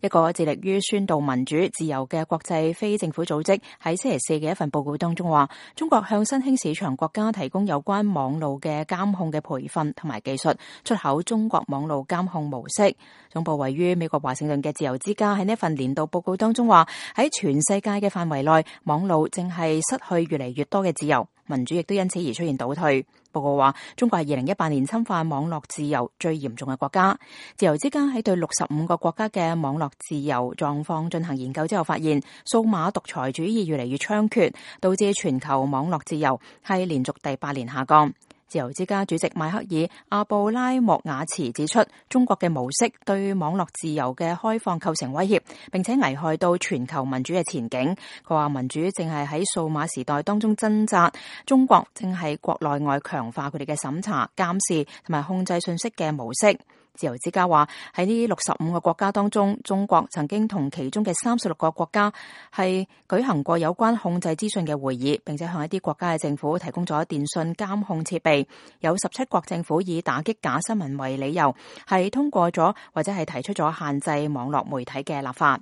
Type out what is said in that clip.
一個致力於宣導民主自由嘅國際非政府組織喺星期四嘅一份報告當中話，中國向新興市場國家提供有關網路嘅監控嘅培訓同埋技術，出口中國網路監控模式。總部位於美國華盛頓嘅自由之家喺呢份年度報告當中話，喺全世界嘅範圍內，網路正係失去越嚟越多嘅自由，民主亦都因此而出現倒退。報告話，中國係2018年侵犯網絡自由最嚴重嘅國家。自由之家喺對65個國家嘅網絡自由狀況進行研究之後發現，數碼獨裁主義越嚟越猖獗，導致全球網絡自由係連續第8年下降。自由之家主席邁克爾阿布拉莫瓦茨指出，中國嘅模式對網絡自由嘅開放構成威脅，並且危害到全球民主嘅前景。佢話民主正係喺數碼時代當中掙扎，中國正係國內外強化佢哋嘅審查、監視同埋控制信息嘅模式。自由之家話喺呢65個國家當中，中國曾經同其中嘅36個國家係舉行過有關控制資訊嘅會議，並且向一啲國家嘅政府提供咗電信監控設備。有17國政府以打擊假新聞為理由，係通過咗或者係提出咗限制網絡媒體嘅立法。